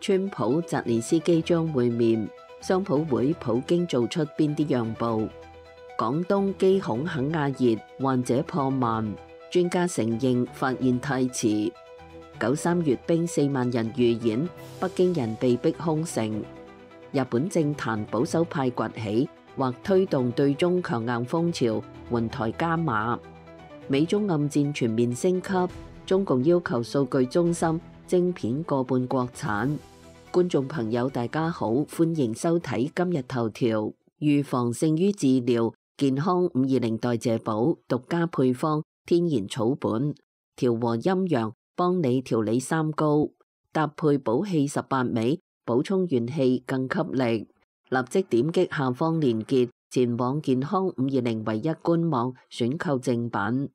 川普、澤連斯基將會面，商討會普京做出邊啲讓步？廣東機孔肯亞熱，患者破萬，專家承認發現太遲。93閱兵4萬人預演，北京人被逼空城。日本政壇保守派崛起，或推動對中強硬風潮，援台加碼。美中暗戰全面升級，中共要求數據中心晶片過半國產。觀眾朋友大家好，歡迎收睇今日頭條。預防勝於治療，健康520代謝寶獨家配方，天然草本，調和陰陽，幫你調理三高，搭配補氣18味，補充元氣更給力。立即點擊下方連結，前往健康520唯一官網選購正品。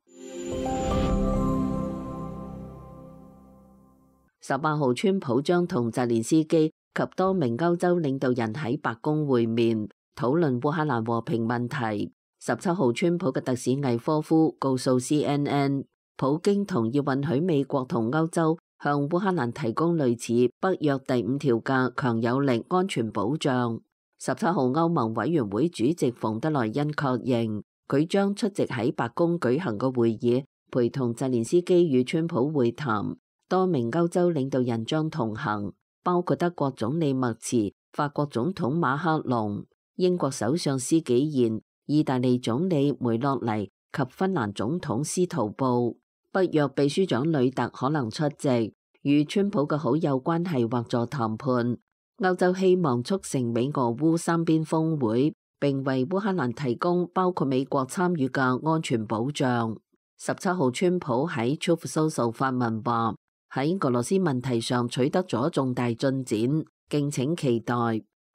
18號，川普將同澤連斯基及多名歐洲領導人喺白宮會面，討論烏克蘭和平問題。17號，川普嘅特使魏科夫告訴 CNN， 普京同意允許美國同歐洲向烏克蘭提供類似北約第5條嘅強有力安全保障。17號，歐盟委員會主席馮德萊恩確認，佢將出席喺白宮舉行嘅會議，陪同澤連斯基與川普會談。多名歐洲領導人將同行，包括德國總理默茨、法國總統馬克龍、英國首相施紀賢、意大利總理梅洛尼及芬蘭總統斯圖布。北約秘書長呂特可能出席，與川普嘅好友關係或助談判。歐洲希望促成美俄烏三邊峰會，並為烏克蘭提供包括美國參與嘅安全保障。17號，川普喺 Truth Social 發文話，喺俄羅斯問題上取得咗重大進展，敬請期待。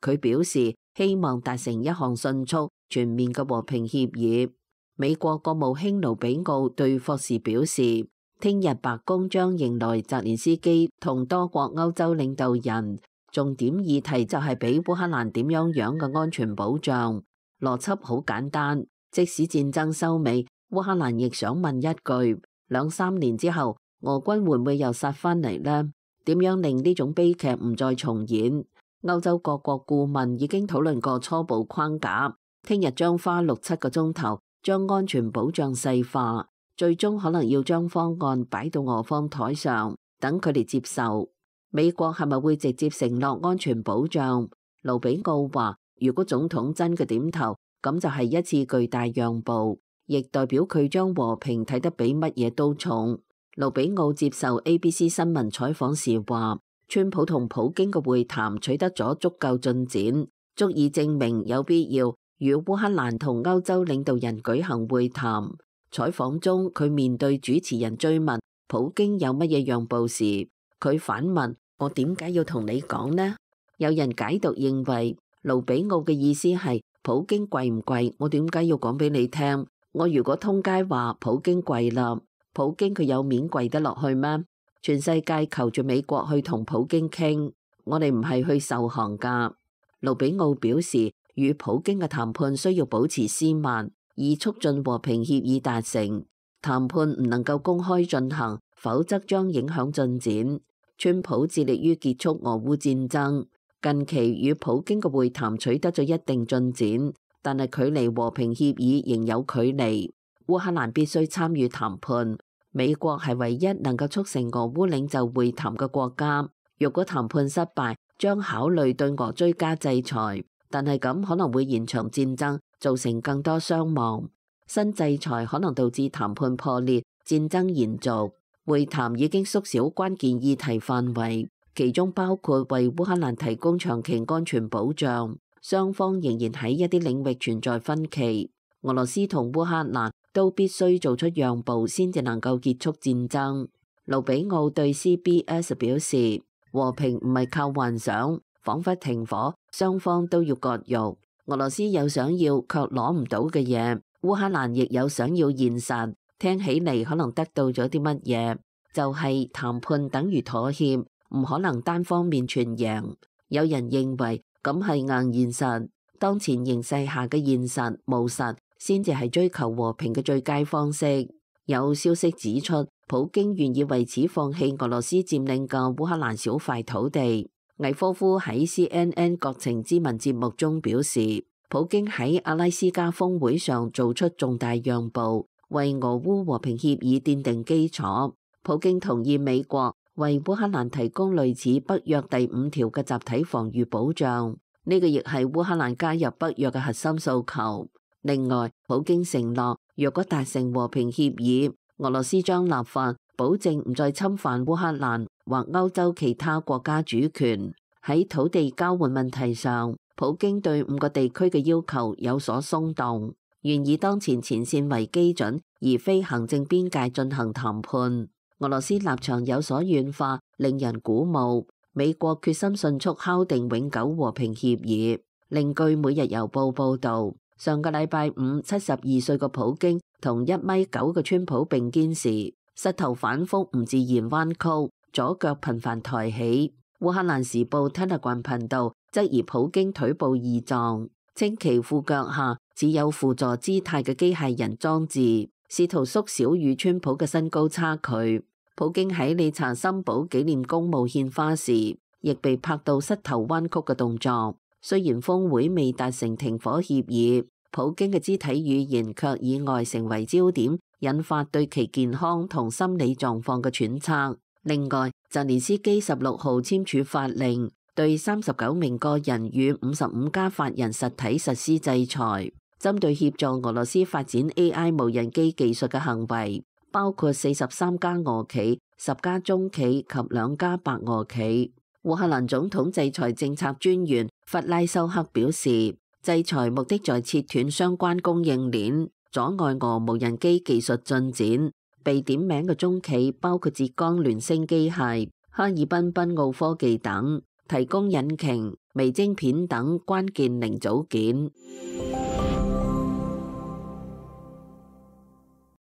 佢表示希望達成一項迅速全面嘅和平協議。美國國務卿盧比奧對霍士表示，聽日白宮將迎來澤連斯基同多國歐洲領導人，重點議題就係俾烏克蘭點樣嘅安全保障。邏輯好簡單，即使戰爭收尾，烏克蘭亦想問一句：2-3年之後，俄軍會唔會又殺返嚟呢？點樣令呢種悲劇唔再重演？歐洲各國顧問已經討論過初步框架，聽日將花6-7個鐘頭將安全保障細化，最終可能要將方案擺到俄方台上，等佢哋接受。美國係咪會直接承諾安全保障？盧比奧話，如果總統真嘅點頭，咁就係一次巨大讓步，亦代表佢將和平睇得比乜嘢都重。盧比奧接受 ABC 新聞採訪時話，川普同普京嘅會談取得咗足夠進展，足以證明有必要與烏克蘭同歐洲領導人舉行會談。採訪中，佢面對主持人追問普京有乜嘢讓步時，佢反問：我點解要同你講呢？有人解讀認為，盧比奧嘅意思係普京貴唔貴，我點解要講俾你聽？我如果通街話普京貴啦，普京佢有面跪得落去咩？全世界求住美國去同普京傾，我哋唔係去受降噶。盧比奧表示，與普京嘅談判需要保持斯文，以促進和平協議達成。談判唔能夠公開進行，否則將影響進展。川普致力於結束俄烏戰爭，近期與普京嘅會談取得咗一定進展，但係距離和平協議仍有距離。烏克蘭必須參與談判。美國係唯一能夠促成俄烏領袖會談嘅國家。若果談判失敗，將考慮對俄追加制裁，但係咁可能會延長戰爭，造成更多傷亡。新制裁可能導致談判破裂，戰爭延續。會談已經縮小關鍵議題範圍，其中包括為烏克蘭提供長期安全保障。雙方仍然喺一啲領域存在分歧。俄羅斯同烏克蘭都必須做出讓步，先至能夠結束戰爭。盧比奧對 CBS 表示，和平唔係靠幻想，彷彿停火，雙方都要割肉。俄羅斯有想要卻攞唔到嘅嘢，烏克蘭亦有想要現實。聽起嚟可能得到咗啲乜嘢，就係談判等於妥協，唔可能單方面全贏。有人認為咁係硬現實，當前形勢下嘅現實務實先至係追求和平嘅最佳方式。有消息指出，普京願意為此放棄俄羅斯佔領嘅烏克蘭小塊土地。魏科夫喺 CNN 國情咨文節目中表示，普京喺阿拉斯加峰會上做出重大讓步，為俄烏和平協議奠定基礎。普京同意美國為烏克蘭提供類似北約第5條嘅集體防禦保障，呢個亦係烏克蘭加入北約嘅核心訴求。另外，普京承諾，若果達成和平協議，俄羅斯將立法保證唔再侵犯烏克蘭或歐洲其他國家主權。喺土地交換問題上，普京對5個地區嘅要求有所鬆動，願以當前前線為基準，而非行政邊界進行談判。俄羅斯立場有所軟化，令人鼓舞。美國決心迅速敲定永久和平協議。另據每日郵報報導，上個禮拜五，72歲嘅普京同1.9米嘅川普並肩時，膝頭反覆唔自然彎曲，左腳頻繁抬起。烏克蘭時報 Telegram 頻道質疑普京腿部異狀，稱其褲腳下只有輔助姿態嘅機械人裝置，試圖縮小與川普嘅身高差距。普京喺理查森堡紀念公墓獻花時，亦被拍到膝頭彎曲嘅動作。雖然峰會未達成停火協議，普京嘅肢體語言卻意外成為焦點，引發對其健康同心理狀況嘅揣測。另外，澤連斯基16號簽署法令，對39名個人與55家法人實體實施制裁，針對協助俄羅斯發展 AI 無人機技術嘅行為，包括43家俄企、10家中企及2家白俄企。烏克蘭總統制裁政策專員弗拉修克表示，制裁目的在切斷相關供應鏈，阻礙俄無人機技術進展。被點名嘅中企包括浙江聯升機械、哈爾濱賓奧科技等，提供引擎、微晶片等關鍵零組件。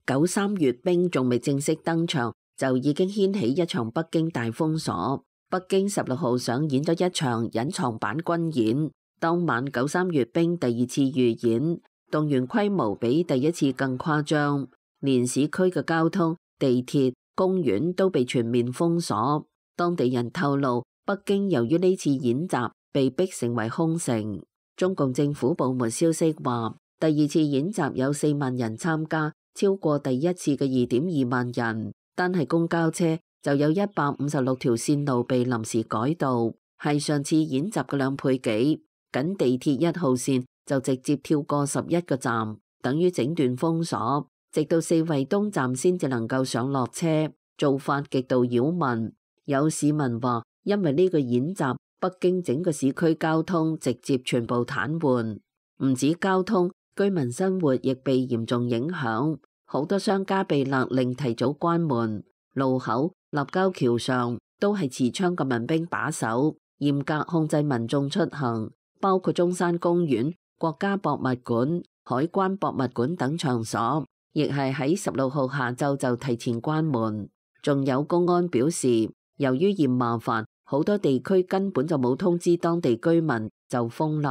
93閱兵仲未正式登場，就已經掀起一場北京大封鎖。北京16號上演咗一場隱藏版軍演，當晚93閱兵第2次預演，動員規模比第一次更誇張，連市區嘅交通、地鐵、公園都被全面封鎖。當地人透露，北京由於呢次演習被逼成為空城。中共政府部門消息話，第2次演習有4萬人參加，超過第一次嘅2.2萬人。單係公交車就有156條線路被臨時改道，係上次演習嘅2倍幾。僅地鐵1號線就直接跳過11個站，等於整段封鎖，直到4惠東站先至能夠上落車，做法極度擾民。有市民話，因為呢個演習，北京整個市區交通直接全部癱瘓，唔止交通，居民生活亦被嚴重影響，好多商家被勒令提早關門，路口、立交橋上都係持槍嘅民兵把守，嚴格控制民眾出行，包括中山公園、國家博物館、海關博物館等場所，亦係喺16號下晝就提前關門。仲有公安表示，由於嫌麻煩，好多地區根本就冇通知當地居民就封立。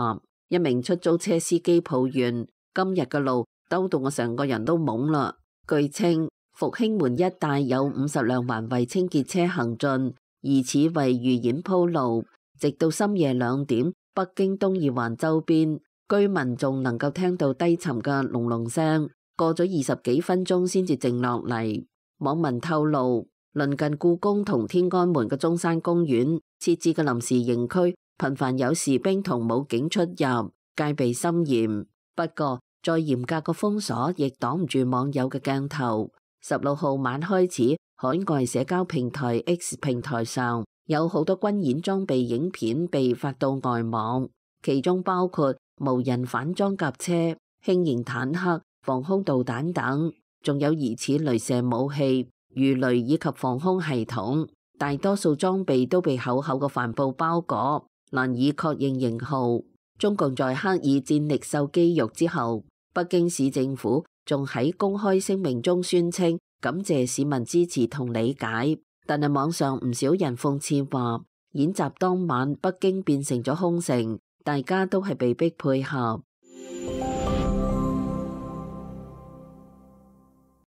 一名出租車司機抱怨，今日嘅路兜到我成個人都懵啦。據稱，復興門一帶有50輛環衛清潔車行進，疑似為預演鋪路。直到深夜2點，北京東二環周邊居民仲能夠聽到低沉嘅隆隆聲，過咗20幾分鐘先至靜落嚟。網民透露，鄰近故宮同天安門嘅中山公園設置嘅臨時營區，頻繁有士兵同武警出入，戒備森嚴。不過，再嚴格嘅封鎖亦擋唔住網友嘅鏡頭。16號晚開始，海外社交平台 X 平台上有好多軍演裝備影片被發到外網，其中包括無人反裝甲車、輕型坦克、防空導彈等，仲有疑似雷射武器、魚雷以及防空系統。大多數裝備都被厚厚嘅帆布包裹，難以確認型號。中共在刻意戰力秀肌肉之後，北京市政府仲喺公開聲明中宣稱感謝市民支持同理解，但係網上唔少人諷刺話，演習當晚北京變成咗空城，大家都係被逼配合。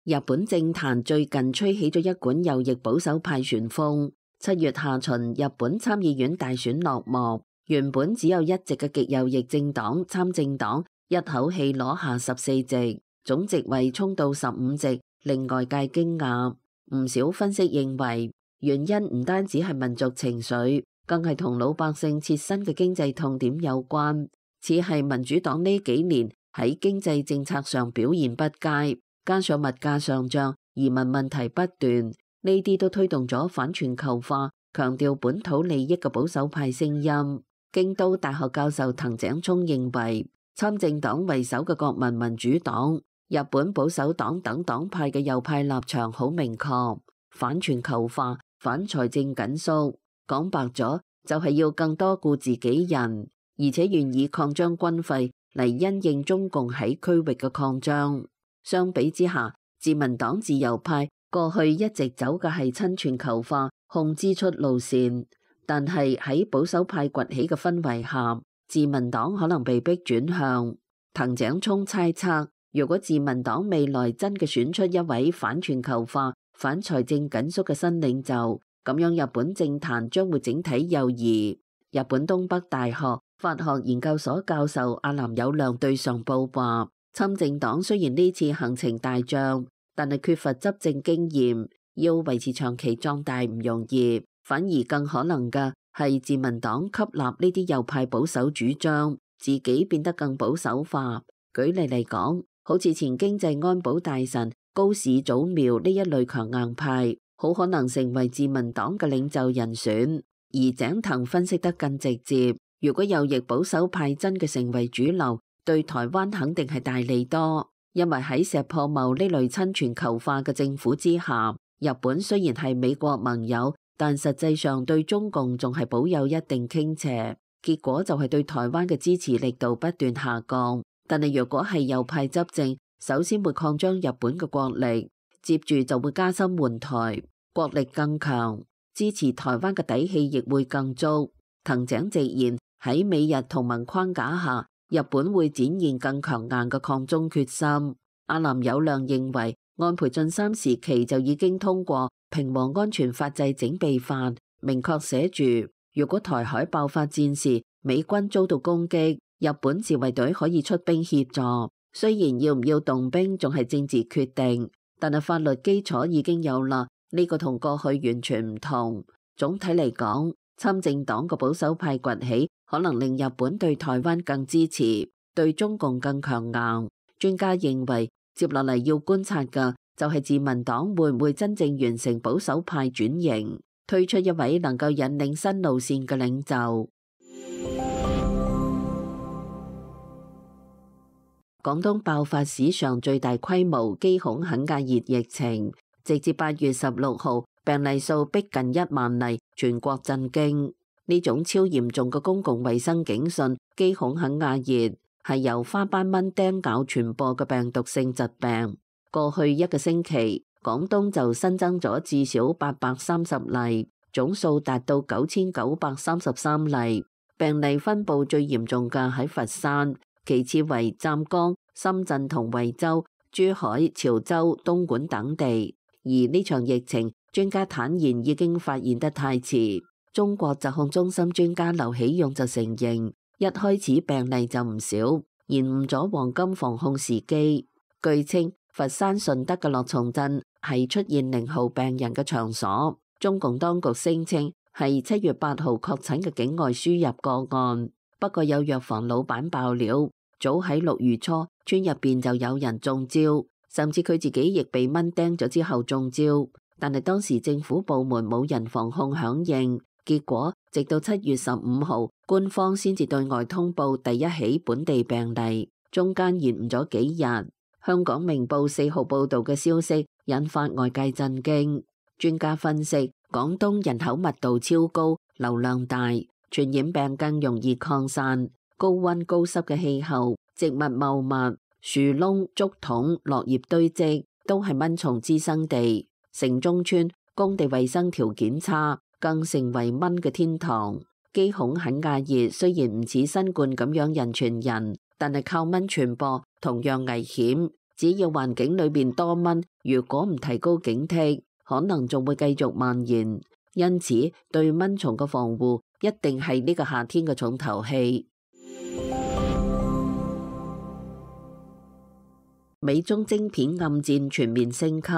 日本政壇最近吹起咗一股右翼保守派旋風， 7月下旬，日本參議院大選落幕，原本只有一席嘅極右翼政黨參政黨一口氣攞下14席，總席位衝到15席，令外界驚訝。唔少分析認為，原因唔單止係民族情緒，更係同老百姓切身嘅經濟痛點有關。似係民主黨呢幾年喺經濟政策上表現不佳，加上物價上漲、移民問題不斷，呢啲都推動咗反全球化、強調本土利益嘅保守派聲音。京都大學教授藤井聰認為，參政黨為首嘅國民民主黨、日本保守黨等黨派嘅右派立場好明確，反全球化、反財政緊縮，講白咗就係要更多顧自己人，而且願意擴張軍費嚟因應中共喺區域嘅擴張。相比之下，自民黨自由派過去一直走嘅係親全球化、控支出路線，但係喺保守派崛起嘅氛圍下，自民黨可能被逼轉向。藤井聰猜測，如果自民黨未來真嘅選出一位反全球化、反財政緊縮嘅新領袖，咁樣日本政壇將會整體右移。日本東北大學法學研究所教授阿南友亮對上報話，參政黨雖然呢次行程大漲，但係缺乏執政經驗，要維持長期壯大唔容易，反而更可能嘅係自民黨吸納呢啲右派保守主張，自己變得更保守化。舉例嚟講，好似前經濟安保大臣高市早苗呢一類強硬派，好可能成為自民黨嘅領袖人選。而井藤分析得更直接，如果右翼保守派真嘅成為主流，對台灣肯定係大利多，因為喺石破茂呢類親全球化嘅政府之下，日本雖然係美國盟友，但實際上對中共仲係保有一定傾斜，結果就係對台灣嘅支持力度不斷下降。但係若果係右派執政，首先會擴張日本嘅國力，接住就會加深援台，國力更強，支持台灣嘅底氣亦會更足。藤井直言，喺美日同盟框架下，日本會展現更強硬嘅抗中決心。阿南友亮認為，安倍晉三時期就已經通過平和安全法制整備法，明確寫住，如果台海爆發戰事，美軍遭到攻擊，日本自衛隊可以出兵協助。雖然要唔要動兵仲係政治決定，但係法律基礎已經有啦，呢個同過去完全唔同。總體嚟講，參政黨嘅保守派崛起，可能令日本對台灣更支持，對中共更強硬。專家認為，接落嚟要觀察嘅就係自民黨會唔會真正完成保守派轉型，推出一位能夠引領新路線嘅領袖。廣東爆發史上最大規模機孔肯亞熱疫情，直至8月16號，病例數逼近1萬例，全國震驚。呢種超嚴重嘅公共衛生警訊，機孔肯亞熱係由花斑蚊叮咬傳播嘅病毒性疾病。過去一個星期，廣東就新增咗至少830例，總數達到9933例。病例分佈最嚴重嘅喺佛山，其次為湛江、深圳同惠州、珠海、潮州、東莞等地。而呢場疫情，專家坦言已經發現得太遲。中國疾控中心專家劉喜勇就承認，一開始病例就唔少，延誤咗黃金防控時機。據稱，佛山順德嘅樂從鎮係出現0號病人嘅場所。中共當局聲稱係7月8號確診嘅境外輸入個案。不過有藥房老闆爆料，早喺6月初，村入邊就有人中招，甚至佢自己亦被蚊叮咗之後中招。但係當時政府部門冇人防控響應，結果直到7月15號，官方先至對外通報第一起本地病例，中間延誤咗幾日。香港明報4號報導嘅消息引發外界震驚。專家分析，廣東人口密度超高，流量大，傳染病更容易擴散。高溫高濕嘅氣候、植物茂密、樹窿、竹筒、落葉堆積，都係蚊蟲滋生地。城中村工地衛生條件差，更成為蚊嘅天堂。機孔肯亞熱雖然唔似新冠咁樣人傳人，但係靠蚊傳播同樣危險。只要環境裏邊多蚊，如果唔提高警惕，可能仲會繼續蔓延。因此對蚊蟲嘅防護一定係呢個夏天嘅重頭戲。美中晶片暗戰全面升級。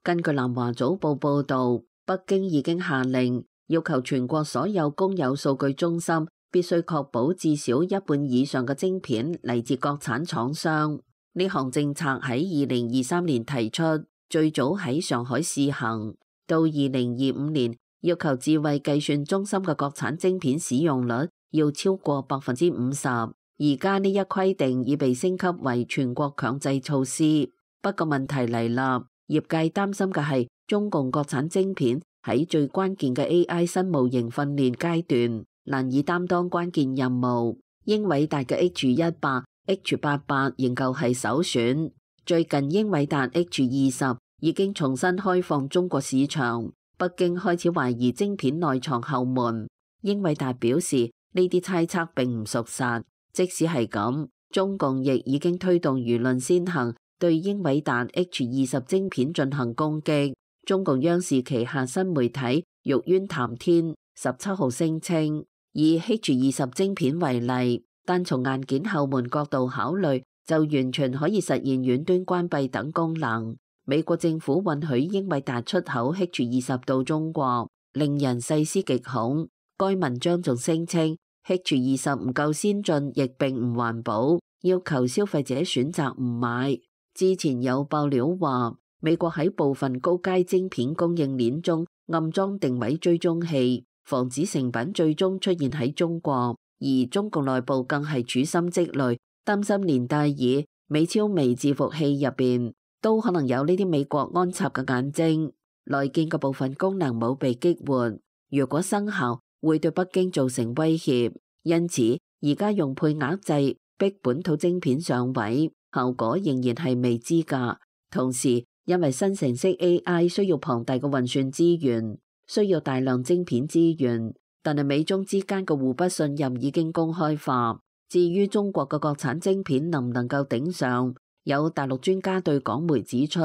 根據南華早報報導，北京已經下令要求全國所有公有數據中心必須確保至少一半以上嘅晶片嚟自國產廠商。呢項政策喺2023年提出，最早喺上海試行，到2025年要求智慧計算中心嘅國產晶片使用率要超過50%。而家呢一規定已被升級為全國強制措施。不過問題嚟啦，業界擔心嘅係中共國產晶片喺最關鍵嘅 AI 新模型訓練階段難以擔當關鍵任務。英偉達嘅 H100、H88 仍舊係首選。最近英偉達 H20 已經重新開放中國市場，北京開始懷疑晶片內藏後門。英偉達表示呢啲猜測並唔屬實。即使係咁，中共亦已經推動輿論先行，對英偉達 H20 晶片進行攻擊。中共央視旗下新媒體玉淵談天17號聲稱，以 H20 晶片為例，單從硬件後門角度考慮，就完全可以實現遠端關閉等功能。美國政府允許英偉達出口 H20 到中國，令人細思極恐。該文章仲聲稱H20 唔夠先進，亦並唔環保，要求消費者選擇唔買。之前有爆料話，美國喺部分高階晶片供應鏈中暗裝定位追蹤器，防止成品最終出現喺中國。而中共內部更係處心積慮，擔心連戴爾、美超微伺服器入邊都可能有呢啲美國安插嘅眼睛。內建嘅部分功能冇被激活，如果生效，會對北京造成威脅，因此而家用配額制逼本土晶片上位，效果仍然係未知㗎。同時，因為生成式 AI 需要龐大嘅運算資源，需要大量晶片資源，但係美中之間嘅互不信任已經公開化。至於中國嘅國產晶片能唔能夠頂上，有大陸專家對港媒指出，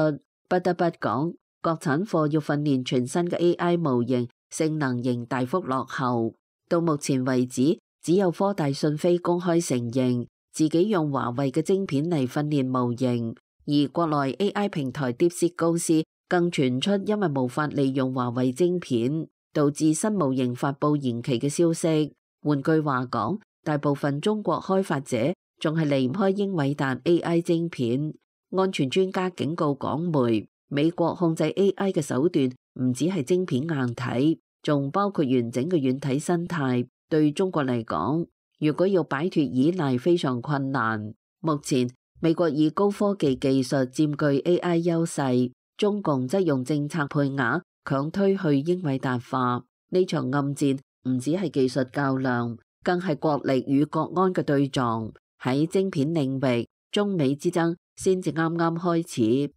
不得不講，國產貨要訓練全新嘅 AI 模型，性能仍大幅落後。到目前為止，只有科大訊飛公開承認自己用華為嘅晶片嚟訓練模型，而國內 AI 平台 DeepSeek 公司更傳出因為無法利用華為晶片，導致新模型發布延期嘅消息。換句話講，大部分中國開發者仲係離唔開英偉達 AI 晶片。安全專家警告港媒，美國控制 AI 嘅手段唔只係晶片硬體，仲包括完整嘅軟體生態。對中國嚟講，如果要擺脫依賴非常困難。目前美國以高科技技術佔據 AI 優勢，中共則用政策配額強推去英偉達化。呢場暗戰唔只係技術較量，更係國力與國安嘅對撞。喺晶片領域，中美之爭先至啱啱開始。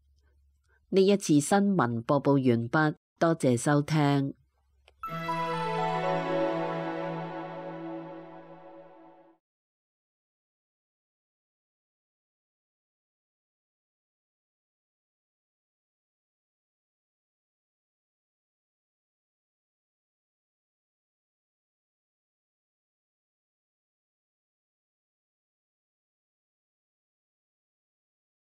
呢一次新聞播報完畢，多謝收聽。